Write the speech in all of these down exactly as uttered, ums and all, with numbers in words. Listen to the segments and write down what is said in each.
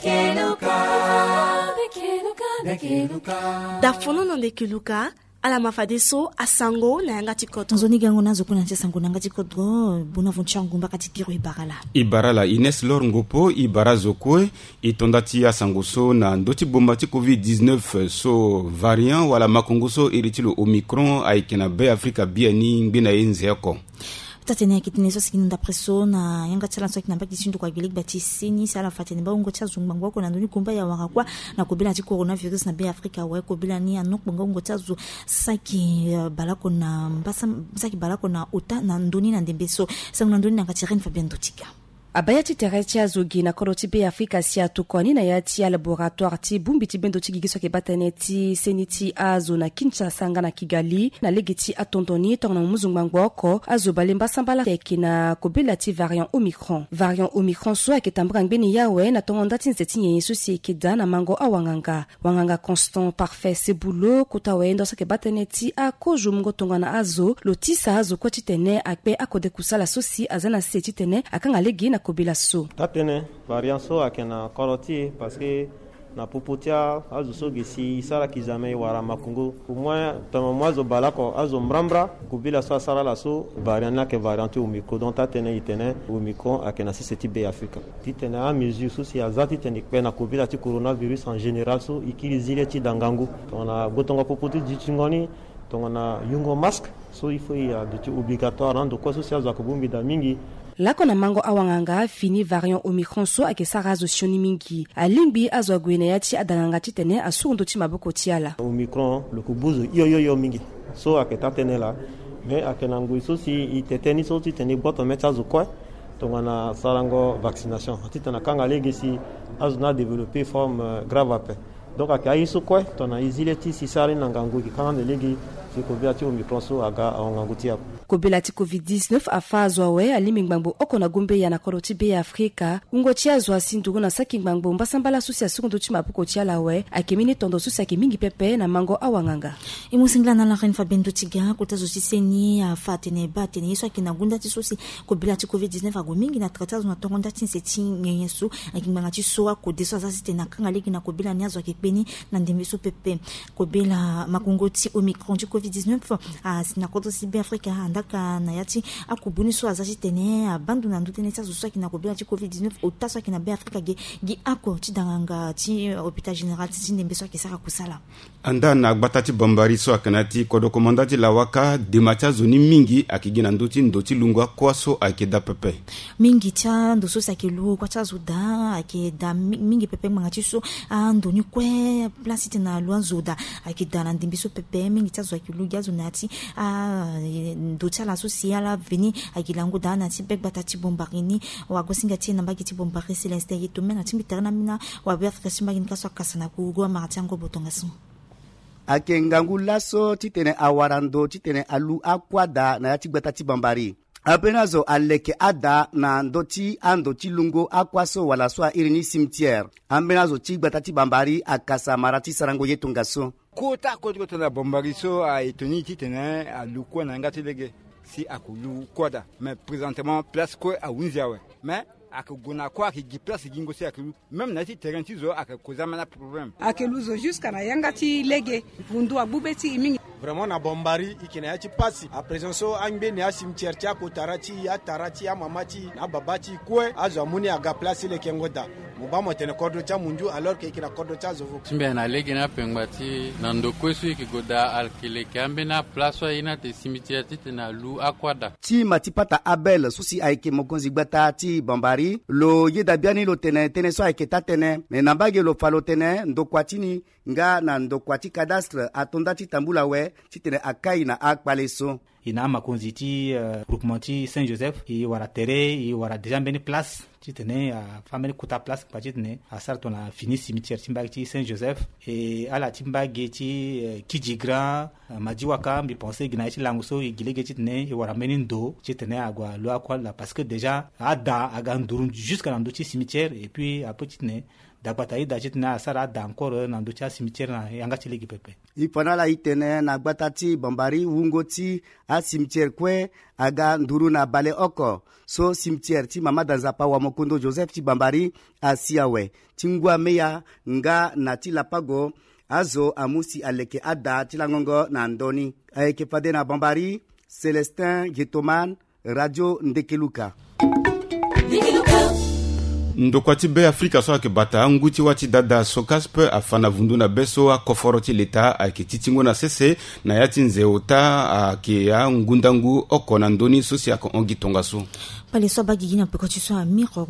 Keluka. Keluka. Dafono na nde keluka. Ala ma fadeso asango na yanga ti kodro. Nzoni gango na azo kue na ti asango na yanga ti kodro. Bona vonti angu mbaka ti kiro ibara la. Ibara la Ines Lor Ngopo, ibara zo kue. I tonda ti asango so na ndö ti bomba ti covid dix-neuf so variant wala makongo so iri ti lo Omicron ayeke na Be Afrika biani ngbene ye nze oko. Taa-tene ayeke tene so asigi na ndapre so na yanga ti ala so ayeke na mbage ti ndokua gbe legba ti seni si ala fa tene baa wungo ti azo ngbangbo oko na ndö ni gomba ya wara kuâ na kobela ti coronavirus na Be Afrika awe. Kobela ni anokpo nga wungo ti azo saki baleoko na mbasa saki baleoko na ota na ndö ni na ndembe so. Sango na ndö ni na yanga ti Reine Fabienne Dotika. Abaya ti tere ti azo gi na kodro ti Be Afrika si atokua ni na ya ti alaboratoire ti bongbi ti bendo ti gigi so ayeke baa tënë ti seni ti azo na Kinshasa nga na Kigali na lege ti atondo ni tongana muzu ngbangbo oko azo bale mbasambala ayeke na kobela ti variant Omicron. Variant Omicron so ayeke tambula ngbeni ye awe na tongo nda ti nze ti nyenye so si ayeke daa na mango awanganga. Wanganga Constant Parfait Sebulo kota wayenda so ayeke baa tënë ti akozo mungo tongana azo lo tisa azo kue titene akpe akode kusala so si aza na se titene akanga lege na kobela so. Taa-tënë variant so ayeke na kodro ti e parce que na popo ti azo so gi si e sara ki zame e wara makongo au moins tongana mo azo baleoko azo mbrambra. Kobela so asara ala so variant ni ayeke variant ti Omicron. Donc taa-tënë e tene Omicron ayeke na sese ti Be Afrika titene amesure so si aza titene e kpe na kobela ti coronavirus en général so e kiri zi le ti da ngangu tongana gbotongo popo ti dutingo ni tongana yungo masque so il faut e aduti obligatoire na ando kue so si azo ayeke bongbi daa mingi. Laoko na mango awanganga fini variant Omicron so ayeke sara azo sioni mingi alingbi azo ague na ya ti adanganga titene asuru ndö ti maboko ti ala. Omicron lo ko gbu zo hio hio hio mingi so ayeke taa-tënë laa. Mais ayeke na ngoi so si e tete ni so titene e gboto mê ti azo kue tongana sarango vaccination titene akanga lege si azo ni adévelopper forme grave ape. Donc ayeke aye so kue tongana e zi le ti si sara ni na ngangu e yeke kanga ande lege si kobela ti Omicron so aga aho ngangu ti e ape. Kobela ti covid dix-neuf afa azo awe alingbi ngbangbo oko na gombeya na kodro ti Be Afrika. Wungo ti azo asi nduru na saki ngbangbo mbasambala so si asuru ndö ti maboko ti ala awe ayeke mbeni tondo so si ayeke mingi pepe na mango awanganga. E mu singila na ala Reine Fabienne Dotika kota zo ti seni afa atene baa atene ye so ayeke na ngu nda ti so si kobela ti covid dix-neuf ague mingi na tra ti azo na tongo nda ti nze ti nyenye so ayeke ngbanga ti so akode so aza titene akanga lege na kobela ni azo ayeke kpe ni na ndembe so pepe. Kobela makongo ti Omicron ti covid dix-neuf asi na kodro ti Be Afrika andaka na ya ti akubu ni so aza titene abaa ndo na ndö tënë ti azo so ayeke na kobela ti covid dix-neuf ota so ayeke na Be Afrika ge gi oko ti danganga ti hôpital général ti ndembe so ayeke sara kusala. Andaa na gbata ti Bambari so ayeke na ya ti kodro komanda ti Lawaka dema ti azo ni mingi ayeke gi na ndö ti ndo ti lungo akua so ayeke daa pepe. Mingi ti ando so si ayeke lu kua ti azo daa ayeke daa mingi pepe ngbanga ti so ando ni kue place titene alu azo daa ayeke daa na ndembe so pepe mingi ti azo ayeke lu gi azo na ya ti ando ti ala so si ala veni ayeke lango daa na ya ti be gbata ti Bambari ni. Wagosinga ti e na mbage ti Bambari Célestin Yetomena ti mbi tere na ambeni wabe Afrika ti mbage ni ka so akasa na kurugu amara ti ango botongaso. Ayeke ngangu laso titene awara ndo titene alu akua daa na ya ti gbata ti Bambari. Ambeni azo aleke ada na ndö ti ando ti lungo akua so wala so airi ni cimetière. Ambeni azo ti gbata ti Bambari akasa mara ti sarango ye tongaso. Kota kota kota na Bambari so aye toni titene alu kua na yanga ti lege si ako lu kua daa. Mais présentement place kue ahunzi awe. Mais ayeke gue na kue ayeke gi place gingo si ayeke lu. Même na ya ti terrain ti zo ayeke koza ambeni aproblème. Ayeke lu zo jusqu'à na yanga ti lege. Ngundu agbu be ti e mingi. Vraiment na Bambari e yeke na ya ti pasi. À présent so angbeni acimetière ti akotara ti e, atara ti e, amama ti e na ababa ti e kue azo amu ni aga place ti lekengo daa. Mo baa mo tene kodro ti amunzu alors que e yeke na kodro ti azo fo. Ti mbi ayeke na lege na apengba ti e na ndo kue so e yeke gue daa ayeke leke ambeni aplace so aye ni ate cimetière titene alu akua daa. Ti ma ti pata Abel so si ayeke mokonzi gbata ti Bambari lo yeda biani lo tene tënë so ayeke taa-tënë. Me na mbage lo fa lo tene ndokua ti ni nga na ndokua ti cadastre ato nda ti tambula awe titene akai na akpale so. E na amakonzi ti groupement ti Saint Joseph e wara tere e wara déjà mbeni place titene afa mbeni kota place ngba titene asara tongana fini cimetière ti mbage ti Saint Joseph. E ala ti mbage ti Kidji Grand, Madiwaka, mbi pense gi na ye ti lango so e gi lege titene e wara mbeni ndo titene ague alu akua laa parce que déjà ada aga nduru jusque na ndö ti cimetière et puis ape titene dagbata aye daa titene asara ada encore na ndö ti acimetière na yanga ti lege pepe. E fa na ala e tene na gbata ti Bambari wungo ti acimetière kue aga nduru na baleoko so cimetière ti Mamada Nzapa Wamoko. Kondo Joseph ti Bambari asi awe ti ngu ameya nga na ti lapago. Azo amu si aleke ada ti langongo na ndö ni. Ayeke fade na Bambari, Célestin Getoman, Radio Ndekeluka. Ndokua ti Be Afrika so ayeke bata angu ti wâ ti dada Socasp afa na vundu na be so akoforo ti leta ayeke ti tingo na sese na yâ ti nze ota ayeke angundangu oko na ndö ni so si ayeke hon gi tongaso. Kpale so abaa gigi na peko ti so amiro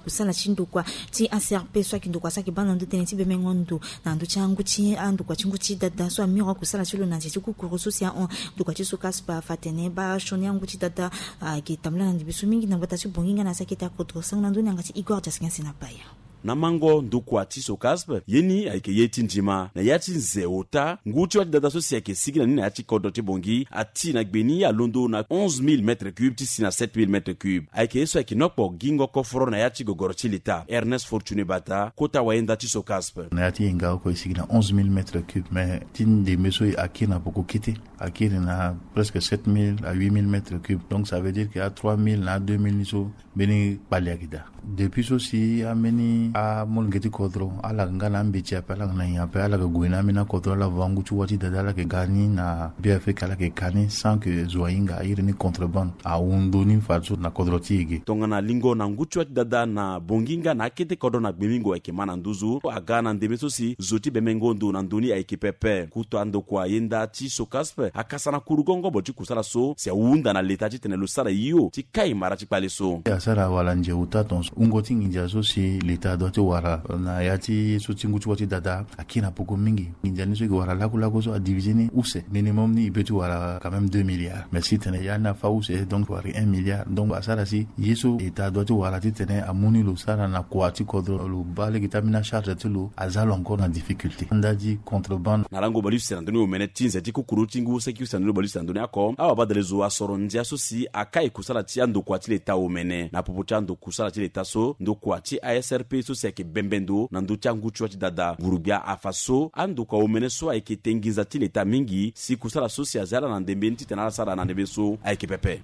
kusala ti ndokua ti A C R P so ayeke ndokua so ayeke baa na ndö tënë ti bemengo ndo na ndö ti angu ti andokua ti ngu ti dada so amiro kusala ti lo na nze ti kukuru so si ahon ndokua ti Socasp afa atene baa sioni angu ti dada ayeke tambula na ndembe so mingi na gbata ti Bangui nga na saki ete akodro sango na ndö ni yanga ti Igor Jaskin Senapaya. Na mango ndokua ti Socasp, ye ni ayeke ye ti ndima na yâ ti nze ota ngu ti wâ ti dada so si ayeke sigi na ni na yâ ti kodro ti Bangui ati na gbe ni alondo na onze mille mètres cubes ti si na sept mille mètres cubes. Ayeke ye so ayeke ni okpo gingo koforo na yâ ti gogoro ti leta. Ernest Fortuné Bata, kota wayenda ti Socasp. Na yâ ti yenga oko e sigi na onze mille mètres cubes, mais ti ndembe so akiri na poko kete, akiri na presque sept mille à huit mille mètres cubes. Donc ça veut dire que a trois mille na a deux mille ni so mbeni kpale ayeke daa. Depuis so si ambeni amolenge ti kodro ala yeke nga na ambeti ape, ala yeke na nyen ape, ala yeke gue na ambeni akodro, ala va ngu ti wâ ti dada, ala yeke ga ni na Be Afrika, ala yeke ka ni sans que zo ahinga. Airi ni contrebande ahundu ni fadeso na kodro ti e ge. Tongana lingo na ngu ti wâ ti dada na Bangui nga na akete kodro na Gbemingo ayeke ma na nduzu, aga na ndembe so si zo ti bemengo ndo na ndö ni ayeke pepe. Kutu andokua yenda ti Socasp akasa na kuru gongobo ti kusala so si ahunda na leta titene lo sara hio ti kai mara ti kpale so. Asara wala nze ota tongaso wungo ti nginza so si leta adoit ti wara na yâ ti so ti ngu ti wâ ti dada akiri na poko mingi. Nginza ni so e ke wara lakulaku so adivise ni use, minimum ni e peut ti wara quand même deux milliards. Mais si tene yâ ni afâ use, donc wara un milliard. Donc asara si ye so leta adoit ti wara titene amu ni lo sara na kua ti kodro, lo baa lege ti ambeni acharge ti lo, aza lo encore na difficulté. Nda ti contrebande. Na lango bale use na ndö ni omene ti nze ti kukuru ti ngu saki use na ndö ni bale use na ndö ni oko, awabadale zo asoro ndia so si akai kusala ti andokua ti leta omene. Na popo ti ando kusala ti leta so, ndokua ti A S R P so si ayeke bembe ndo na ndö ti angu ti wâ ti dada, nguru-gbia afa so andokua omene so ayeke te nginza ti leta mingi si kusala so si aza ala na ndembe ni titene ala sara na ndembe so ayeke pepe.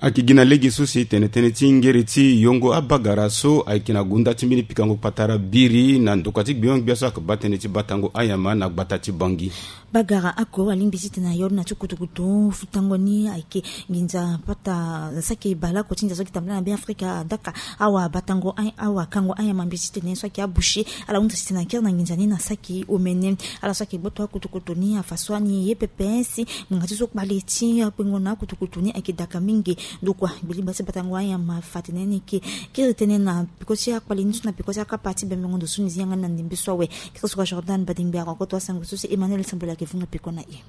Ayeke gi na lege so si tene tënë ti ngere ti yongo abagara so ayeke na gonda ti mbeni pikango patara biri na ndokua ti gbio-gbia so ayeke baa tënë ti batango anyama na gbata ti Bangui. Bagara oko alingbi titene ayoro na ti kutukutu futango ni ayeke nginza pata saki baleoko ti ndia so ayeke tambula na Be Afrika adaka awabatango, awakango anyama mbi titene so ayeke aboucher ala hunda titene akiri na nginza ni na saki omene. Ala so ayeke gboto akutukutu ni afa so ani ye pepe si ngbanga ti so kpale ti akpengo na akutukutu ni ayeke daka mingi. Ndokua gbeliba ti batango anyama fa tene ni yeke kiri tënë na peko ti akpale ni so na peko ti akapa ti bemengo ndo so ni zi yanga ni na ndembe so awe. Kiri so ka Jordan Badingbe ako koto asango so si Emmanuel Sambula ayeke vunga peko na e.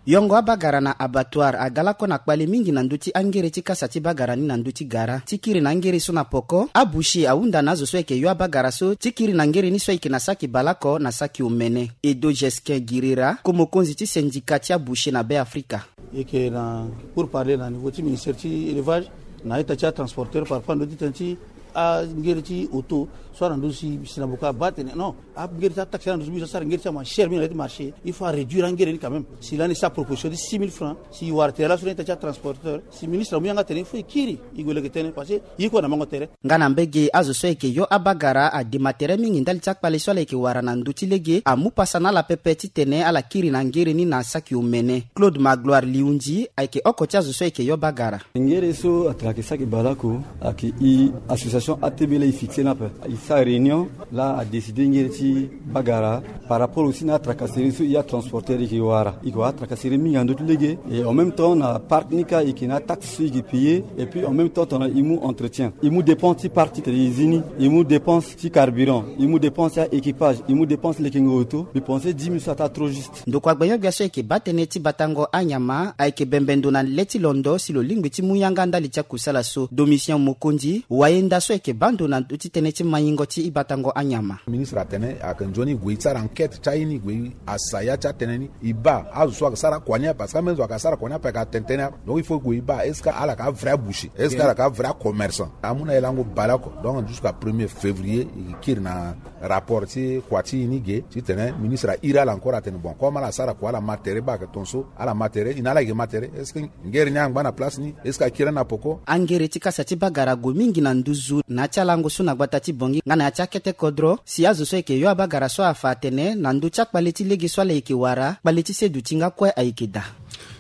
Yongo abagara na abattoir aga lakue na kpale mingi na ndö ti angere ti kasa ti bagara ni na ndö ti gara ti kiri na angere so na poko. Aboucher ahunda na azo so ayeke yo abagara so ti kiri na ngere ni so ayeke na saki baleoko na saki omene. Edo Jesquin Girira, ko mokonzi ti syndicat ti aboucher na Be Afrika. E yeke na pour parler na niveau ti ministère ti élevage na ita ti atransporteur par rapport na ndö ti tënë ti angere ti auto so ala na ndö si si na boko abaa tene non, angere ti ataxe ala na ndö so mbi so asara ngere ti ama cher mingi na ya ti marché. Il faut aréduire angere ni quand même. Si lani sa proposition ti six mille francs si e wara tere laso na ita ti atransporteur, si ministre amu yanga tene il faut e kiri e gue leke tënë parce que ye kue na mango tere. Nga na mbege azo so ayeke yo abagara adema tere mingi ndali ti akpale so ala yeke wara na ndö ti lege amu pasa na ala pepe titene ala kiri na ngere ni na saki omene. Claude Magloire Liundi ayeke oko ti azo so ayeke yo bagara. Ngere so atene ayeke saki baleoko ayeke e association A T B laa e fixe ni ape. E sara réunion laa adécide ngere ti bagara par rapport aussi na atracasserie so e atransporteur e yeke wara. E yeke wara atracasserie mingi na ndö ti lege. Et en même temps na parc ni kâ e yeke na ataxe so e yeke payer. Et puis en même temps tongana e mu entretien, e mu dépense ti parc titene e zi ni, e mu dépense ti carburant, e mu dépense ti aéquipage, e mu dépense lekengo auto. Mbi pense dix mille so ataa trop juste. Ndokua gbenyogbia so ayeke baa tënë ti batango anyama ayeke bembe ndo na le ti londo si lo lingbi ti mu yanga ndali ti akusala so. Domitien Mokondi, wayenda so ayeke baa ndo na ndö ti tënë ti maingo ti batango anyama. Ministre atene ayeke nzoni e gue e sara enquête ti aye ni, e gue e asa ya ti atënë ni. E baa azo so ayeke sara kua ni ape, parce que ambeni zo ayeke sara kua ni ape ayeke atene tënë ape. Donc il faut e gue e baa est-ce que ala yeke avrai aboucher, est-ce que ala yeke avrai acommerçant. Amu na e lango baleoko. Donc jusqu'à premier février e kiri na rapport ti kua ti e ni ge titene ministre airi ala encore atene bon comme ala sara kua ala ma tere baa ayeke ton so, ala ma tere, e na ala yeke ma tere. Est-ce que ngere ni angba na place ni? Est-ce que akiri ni na poko? Angere ti kasa ti bagara ague mingi na nduzu. Na ya ti alango so na gbata ti Bangui nga na ya ti akete kodro si azo so ayeke yo abagara so afa atene na ndö ti akpale ti lege so ala yeke wara, kpale ti seduti nga kue ayeke daa.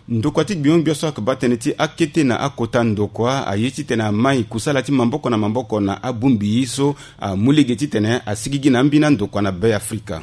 Ndokua ti gbiongbio so ayeke baa tënë ti akete na akota ndokua aye titene amai kusala ti maboko na maboko na abongbi so amu lege titene asigigi na ambeni andokua na Be Afrika.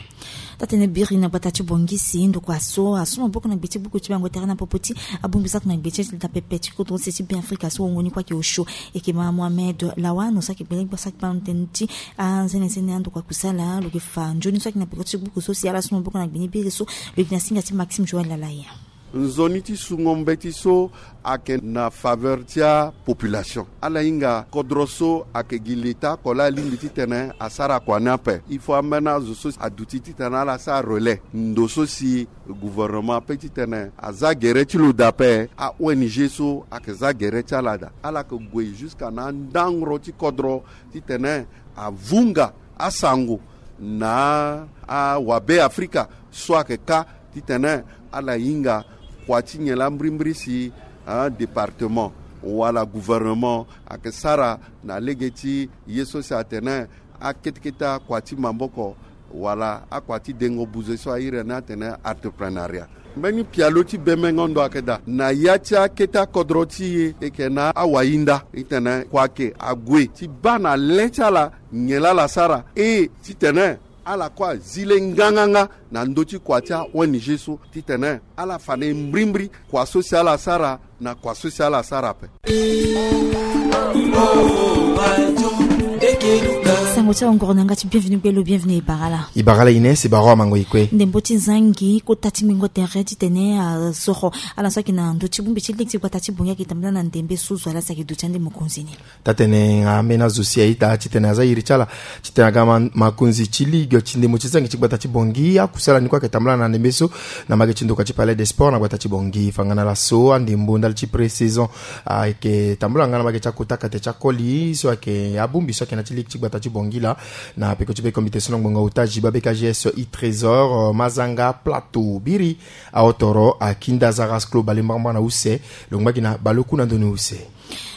Taa-tënë biri na gbata ti Bangui si ndokua so asu maboko na gbe ti buku ti bango tere na popo ti abongbi so ayeke na gbe ti leta pepe ti kodro se ti Be Afrika so wongo ni kue ayeke osio. Eke ma Mohamed Lawan so ayeke gbele gba so ayeke baa na tënë ti anzenenzene andokua kusala lo yeke fa nzoni so ayeke na peko ti buku so si ala su maboko na gbe ni biri so. Lo yeke na singa ti Maxime Joël Lalaye. Nzoni ti sungo mbeti so ayeke na faveur ti apopulation. Ala hinga kodro so ayeke gi leta oko laa alingbi titene asara kua ni ape. Il faut ambeni azo so aduti titene ala sara relais ndo so si gouvernement ape titene aza gere ti lo daa ape. A-O N G so ayeke za gere ti ala daa. Ala yeke gue jusqu'à na andangoro ti kodro titene avunga asango na awabe Afrika so ayeke ka titene ala hinga kua ti nyen laa mbirimbiri si, ah, département wala gouvernement ayeke sara na lege ti ye so si atene akete kete akua ti maboko wala akua ti dengo buze so a iri ni atene entrepreneuriat. Mbeni pialo ti bemengo ndo ayeke daa na ya ti akete akodro ti e, e yeke na awahinda, e tene kua ayeke ague ti baa na le ti ala nyen laa ala sara, e titene ala kue azi le nganganga na ndö ti kua ti a-O N G so titene ala fa na e mbirimbiri kua so si ala sara na kua so si ala sara ape. Sango ti awangoro na yanga ti bienvenu gbelo, bienvenu e bara laa. E bara laa Ines, e bara awamango e kue. Ndembo ti zangi kota ti ngbingo tere titene asoro ala so ayeke na ndö ti bongbi ti lege ti gbata ti Bangui ayeke tambula na ndembe so zo ala si ayeke duti ande mokonzi ni. Taa-tënë nga ambeni azo si a-ita titene aza iri ti ala titene aga ma-, makonzi ti ligue ti ndembo ti zangi ti gbata ti Bangui. Akusala ni kue ayeke tambula na ndembe so na mbage ti ndokua ti Palais des Sports na gbata ti Bangui. Fangana laso andembo ndali ti pré-saison ayeke tambula nga na mbage ti akota kate ti akoli so ayeke abongbi so ayeke na ti ligue ti gbata ti Bangui laa. Na peko ti be komite so na ngbonga ota Jiba B K G S i Trésor, euh, Mazanga Plateau biri. Aotoro akinda Zaras Klo bale mbarambara na use, lo ngba gi na bale oku na ndoni use.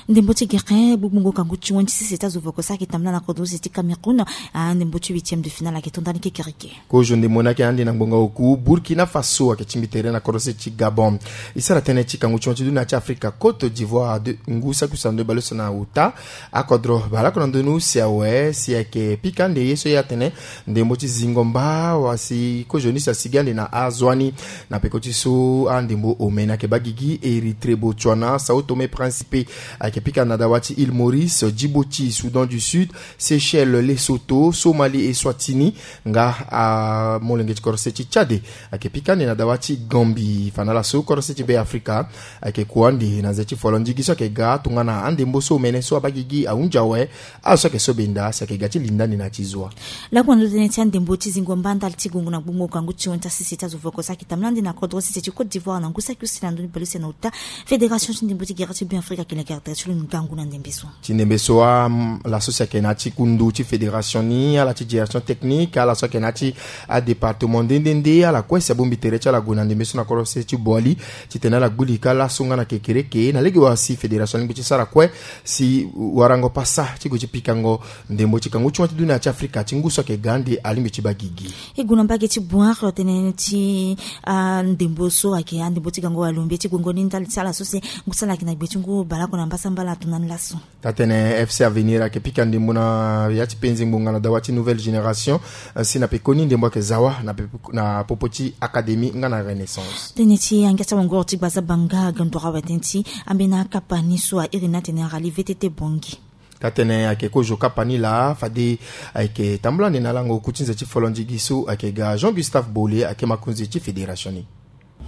Ndembo ti gere gbugbungo kangu ti wen ti sese ti azo voko so ayeke tambula na kodro se ti Cameroun. Ah, ndembo ti huitième de finale ayeke to ndani kekereke. Kozo ndembo ni ayeke ande na ngbonga oku Burkina Faso ayeke tingbi tere na kodro se ti Gabon. E sara tënë ti kangu ti wen ti dunia ti Afrika, Côte d'Ivoire de ngu saki use na ndö bale use na ota. Akodro baleoko na ndö ni use awe si ayeke pika ande ye so ye atene ndembo ti zingo mba wa si kozo ni si asigi ande na azo ni. Na peko ti so andembo omene ayeke baa gigi, Érythrée, Botswana, Sao Tomé Principe ayeke pika na dawa ti Île Maurice, Djibouti, Soudan du Sud, Seychelles, Lesotho, Somalie, Eswatini, nga amolenge ti kodro se ti Tchad ayeke pika ande na dawa ti Gambie. Fana laso kodro se ti Be Afrika ayeke kua ande na nze ti folondigi so ayeke ga tongana andembo so omene so abaa gigi ahunzi awe. Azo so ayeke so benda si ayeke ga ti linda ande na ya ti zo wa. Lakue na ndo tënë ti andembo ti zingo mba ndali ti gongo na gbongo kangu ti wen ti asese ti azo voko so ayeke tambula ande na kodro sese ti Côte d'Ivoire na ngu saki use na ndoni bale use na ota. Fédération ti ndembo ti gere ti Be Afrika ayeke lekere tere ti lo ngangu na ndembe so. Ti ndembe so wa, mm, laso si ayeke na ya ti kundu ti fédération ni, ala ti direction technique, ala so ayeke na ya ti adépartement nde nde nde, ala kue si abongbi tere ti ala gue na ndembe so na kodro se ti Boali titene ala gbu lika laso nga na kekereke na lege wa si fédération alingbi ti sara kue si warango pasa ti gue ti pikango ndembo ti kangu ti wen ti dunia ti Afrika ti ngu so ayeke ga ande alingbi ti baa gigi. E gue na mbage ti Boari, tënë ti andembo so ayeke andembo ti gango walombe ti gongo ni ndali ti ala so si ngu so ala yeke na gbe ti ngu baleoko na mbasambala ato na ni laso. Taa-tënë F C Avenir ayeke pika ndembo na ya ti penze ngbonga na dawa ti Nouvelle Génération, eh, si na pekoni ndembo ayeke za wa na pe-, na popo ti Académie nga na Renaissance. Tënë ti angia ti awangoro ti gbazabanga ga ndoro awe tënë ti ambeni akapa ni so a iri ni atene Rallye V T T Bangui. Taa-tënë ayeke kozo kapa ni laa fade ayeke tambula ande na lango oku ti nze ti folondigi so ayeke ga Jean Gustave Bole ayeke makonzi ti fédération ni.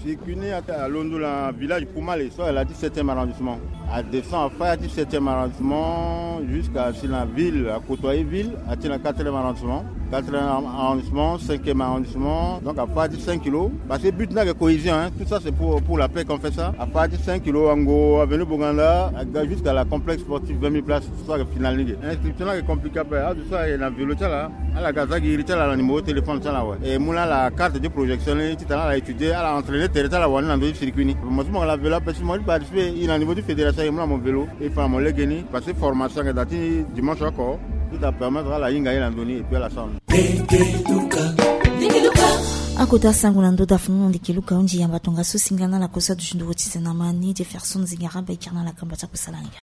Circuit ni alondo na village Poumale so ala ti septième arrondissement. Adescend afa ya ti septième arrondissement jusqu'à si na ville, a côtoyer ville, ati na quatrième arrondissement. Quatrième arrondissement, cinquième arrondissement. Donc à partir de cinq kilos, parce que but n'a que cohésion, hein. Tout ça c'est pour, pour la paix qu'on fait ça. À partir de cinq kilos, Ango, avenue Boganda, jusqu'à la complexe sportive vingt mille places. Tout ça, final ligue. Inscription là est compliqué à faire. Ah, tout ça, il y a un vélo là. Ala ga za gi iri ti ala na numéro téléphone ti ala awe. E mu na ala carte de projection ni ti tena ala étudier, ala entraîner tere ti ala wani na ndö ti circuit ni. Mo ti mo ala vélo ape si mo ti participer, i na niveau ti fédération, e mu na mo vélo, e fa na mo lege ni, parce que formation ayeke daa ti dimanche oko ti ta permettre ala hinga ye na ndö ni et puis ala sara. Akota sango na ndö da funu na ndeke luka hundi yamba tongaso singa na ala kosa duti nduru ti zena ma ni Jefferson Zingara Baker na ala kamba ti akosala ni.